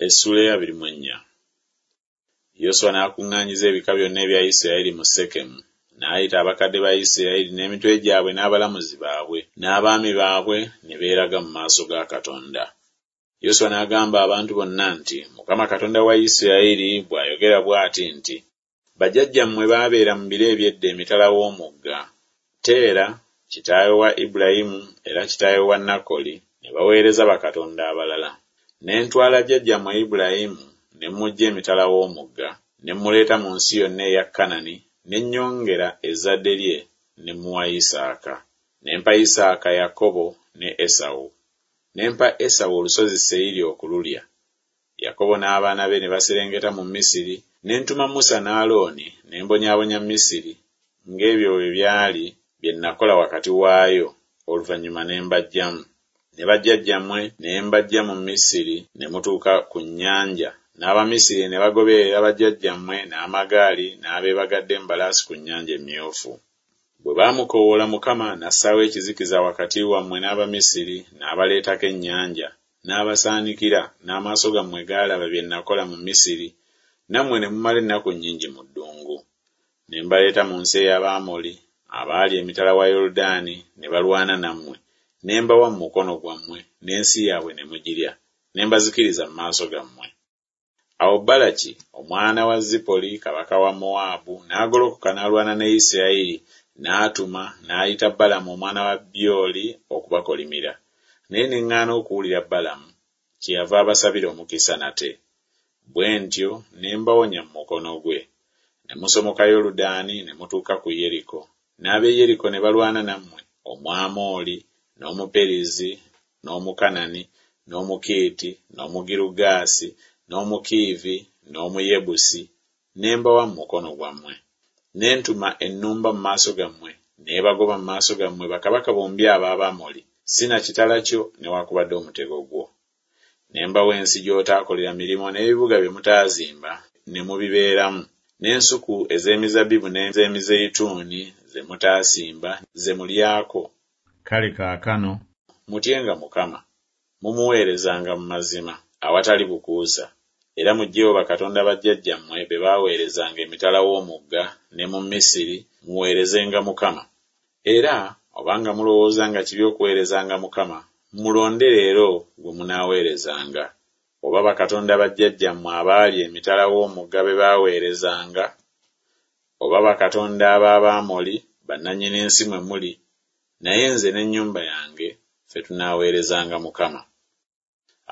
Essuula ey'abiri mu ennya. Yoswa n'akuŋŋaanyiza ebika byonna ebya Isirayiri mu Sekemu, n'ayita abakadde ba Isirayiri n'emitwe gyabwe n'abalamuzi baabwe n'abaami baabwe ne beeraga mu maaso ga Katonda. Yoswa n'agamba abantu bonna nti, Mukama Katonda wa Isirayiri bw'ayogera bw'ati nti, Bajjajjammwe baabeera mu biro eby'edda emitala w'omugga, Teera, kitaawe wa Ibulayimu era kitaawe wa Nakoli, ne baweereza bakatonda abalala. Ne ntwala jjajjammwe Ibulayimu ne mmuggya emitala w'omugga, ne mmuleeta mu nsi yonna eya Kanani, ne nnyongera ezzadde lye ne mmuwa Isaaka. Ne mpa Isaaka Yakobo ne Esawu. Ne mpa Esawu olusozi Seyiri okululya. Yakobo n'abaana be ne baserengeta mu Misiri, ne ntuma Musa ne Alooni, ne mbonyaabonya Misiri, ng'ebyo bwe byali bye nakola wakati waayo, oluvannyuma ne mbaggyamu. Ne bajjajjammwe ne mbaggya mu Misiri ne mutuuka ku nnyanja, n'Abamisiri ne bagoberera bajjajjammwe n'amagaali n'abeebagadde embalaasi ku Nnyanja Emmyufu. Bwe baamukoowoola Mukama n'assaawo ekizikiza wakati wammwe n'Abamisiri, n'abaleetako ennyanja, n'abasaanikira, n'amaaso gammwe gaalaba bye nakola mu Misiri, nammwe ne mumala ennaku nnyingi mu ddungu. Ne mbaleeta mu nsi ey'Abamoli, abaali emitala wa Yoludaani, ne balwana nammwe, ne mbawa mu mukono gwammwe, n'ensi yaabwe ne mugirya, ne mbazikiriza mu maaso gammwe. Awo Balaki omwana wa Zipoli kabaka wa Mowaabu n'agolokoka n'alwana ne Isirayiri, n'atuma n'ayita Balamu omwana wa Byoli okubakolimira. Naye ne ŋŋaana okuwulira Balamu, kyeyava abasabira omukisa nate. Bwe ntyo ne mbawonya mu mukono gwe. Ne musomoka Yoludaani ne mutuuka ku Yeriko. N'ab'e Yeriko ne balwana nammwe, Omwamoli, n'Omuperizi, n'Omukanani, n'Omukiiti, n'Omugirugaasi, n'Omukiivi, n'Omuyebusi, ne mbawa mu mukono gwammwe. Ne ntuma ennumba mu maaso gammwe, n'ebagoba mu maaso gammwe bakabaka bombi ab'Abamoli, si na kitala kyo newakubadde omutego gwo. Ne mbawa ensi gy'otaakolera mirimu n'ebibuga bye mutaazimba ne mubibeeramu, n'ensuku ez'emizabbibu n'ez'emizeyituuni ze mutaasimba ze mulyako. Kale kaakano mutyenga Mukama, mumuweerezanga mu mazima awatali bukuusa, era muggyeewo bakatonda bajjajjammwe be baaweerezanga emitala w'omugga ne mu Misiri, muweerezenga Mukama. Era obanga mulowooza nga kibi okuweerezanga Mukama, mulonde leero gwe munaaweerezanga, oba bakatonda bajjajjammwe abaali emitala w'omugga be baaweerezanga, oba bakatonda ab'Abamoli bannannyini nsi mwe muli, naye nze n'ennyumba yange ffe tunaaweerezanga Mukama.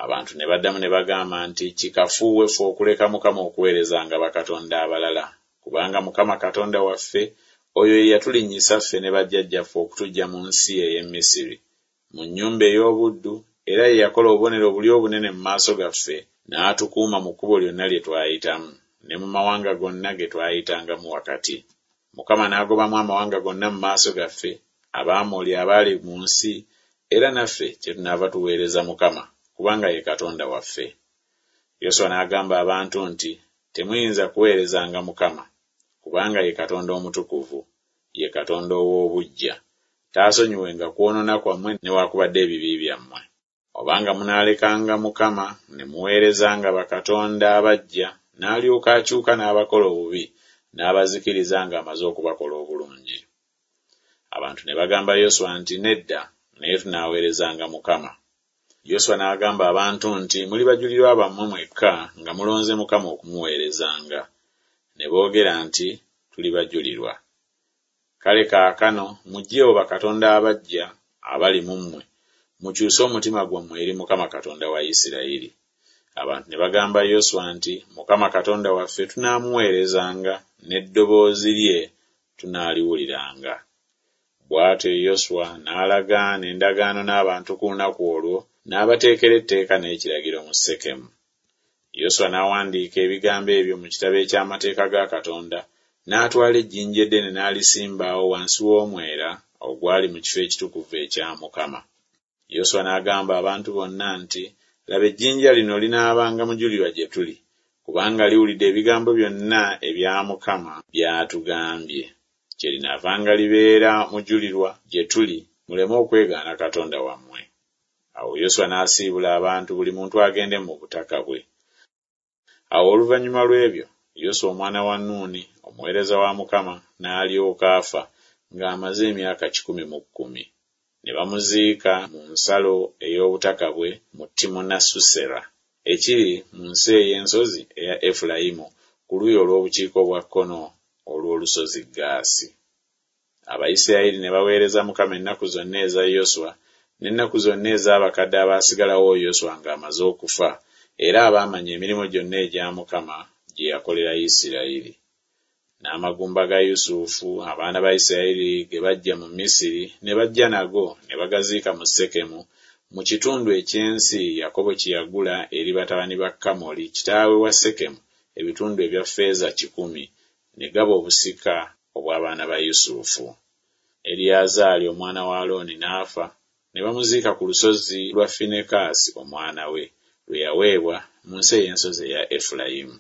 Abantu ne baddamu ne bagamba nti, Kikafuuwe ffe okuleka Mukama okuweerezanga bakatonda abalala, kubanga Mukama Katonda waffe, oyo ye yatulinnyisa ffe ne bajjajjaffe okutuggya mu nsi ey'e Misiri, mu nnyumba ey'obuddu, era ye yakola obubonero buli obunene mu maaso gaffe, n'atukuuma mu kkubo lyonna lye twayitamu, ne mu mawanga gonna ge twayitangamu wakati. Mukama n'agobamu amawanga gonna mu maaso gaffe, Abamoli abaali mu nsi, era naffe kyetunaava tuweereza Mukama, kubanga ye Katonda waffe. Yoswa n'agamba abantu nti, Temuyinza kuweerezanga Mukama, kubanga ye Katonda omutukuvu, ye Katonda ow'obuggya. Taasonyiwenga kwonoona kwammwe newakubadde ebibi byammwe. Obanga munaalekanga Mukama ne muweerezanga bakatonda abaggya, n'alyoka akyuka n'abakola obubi, n'abazikiriza ng'amaze okubakola obulungi. Abantu ne bagamba Yoswa nti, Nedda, naye tunaaweerezanga Mukama. Yoswa n'agamba abantu nti, Muli bajulirwa bammwe mwekka nga mulonze Mukama okumuweerezanga. Ne boogera nti, Tuli bajulirwa. Kale kaakano muggyeewo bakatonda abaggya abali mu mmwe, mukyuse omutima gwammwe eri Mukama Katonda wa Isirayiri. Abantu ne bagamba Yoswa nti, Mukama Katonda waffe tunaamuweerezanga, n'eddoboozi lye tunaaliwuliranga. Bw'atyo Yoswa n'alagaana endagaano n'abantu ku lunaku olwo, n'abateekera etteeka n'ekiragiro mu Sekemu. Yoswa n'awandiika ebigambo ebyo mu kitabo eky'amateeka ga Katonda, n'atwala ejjinja eddene n'alisimba awo wansi w'omwera ogwali mu kifo ekitukuvu ekya Mukama. Yoswa n'agamba abantu bonna nti, Laba ejjinja lino linaabanga mujulirwa gye tuli, kubanga liwulidde ebigambo byonna ebya Mukama by'atugambye. Kyerinaavanga libeera mujulirwa gye tuli, muleme okwegaana Katonda wammwe. Awo Yoswa n'asiibula abantu buli muntu agende mu butaka bwe. Awo oluvannyuma lw'ebyo, Yoswa omwana wa Nuuni, omuweereza wa Mukama, n'alyoka afa ng'amaze emyaka 110. Ne bamuziika mu nsalo ey'obutaka bwe mu Timunasusera, ekiri mu nsi ey'ensozi eya Efulayimu ku luuyi olw'obukiika obwa kkono olw'olusozi Gaasi. Abayisirayiri ne baweereza Mukama ennaku zonna eza Yoswa n'ennaku zonna ez'abakadde abaasigalawo Yoswa ng'amaze okufa era abaamanya emirimu gyonna egya Mukama gye yakolera Isirayiri. N'amagumba ga Yusufu abaana ba Isirayiri ge baggya mu Misiri ne bajja nago ne bagaziika mu Sekemu mu kitundu eky'ensi Yakobo kye yagula eri batabani ba Kamoli kitaawe wa Sekemu ebitundu ebya ffeeza kikumi, ne gaba obusika obw'abaana ba Yusufu. Eriyazaali omwana wa Alooni n'afa, ne bamuziika ku lusozi lwa Finekaasi omwana we, lwe yaweebwa, mu nsi ey'ensozi eya Efulayimu.